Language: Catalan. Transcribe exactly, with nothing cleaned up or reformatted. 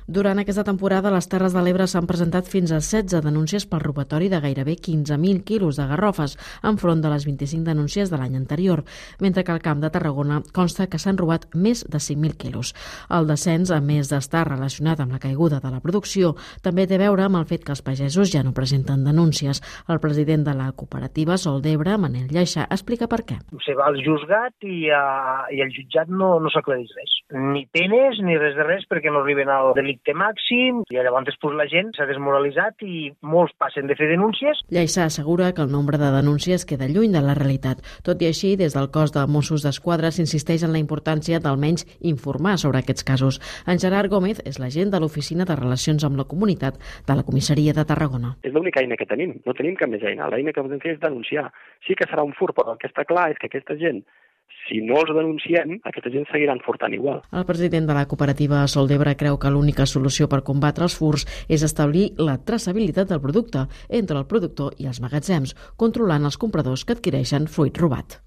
Durant aquesta temporada, a les Terres de l'Ebre s'han presentat fins a setze denúncies pel robatori de gairebé quinze mil quilos de garrofes, enfront de les vint-i-cinc denúncies de l'any anterior, mentre que al Camp de Tarragona consta que s'han robat més de cinc mil quilos. El descens, a més d'estar relacionat amb la caiguda de la producció, també té a veure amb el fet que els pagesos ja no presenten denúncies. El president de la cooperativa Sol d'Ebre, Manel Lleixà, explica per què. Se va al juzgat i, a, i el jutjat no, no s'aclareix res. Ni penes ni res de res perquè no arriben al delicte màxim i llavors després la gent s'ha desmoralitzat i molts passen de fer denúncies. Lleixà assegura que el nombre de denúncies queda lluny de la realitat. Tot i així, des del cos de Mossos d'Esquadra s'insisteix en la importància d'almenys informar sobre aquests casos. En Gerard Gómez és l'agent de l'Oficina de Relacions amb la Comunitat de la Comissaria de Tarragona. És l'única eina que tenim, no tenim cap més eina. L'eina que podem fer és denunciar. Sí que serà un furt, però el que està clar és que aquesta gent, si no els denunciem, aquesta gent seguiran furtant igual. El president de la cooperativa Sol d'Ebre creu que l'única solució per combatre els furts és establir la traçabilitat del producte entre el productor i els magatzems, controlant els compradors que adquireixen fruit robat.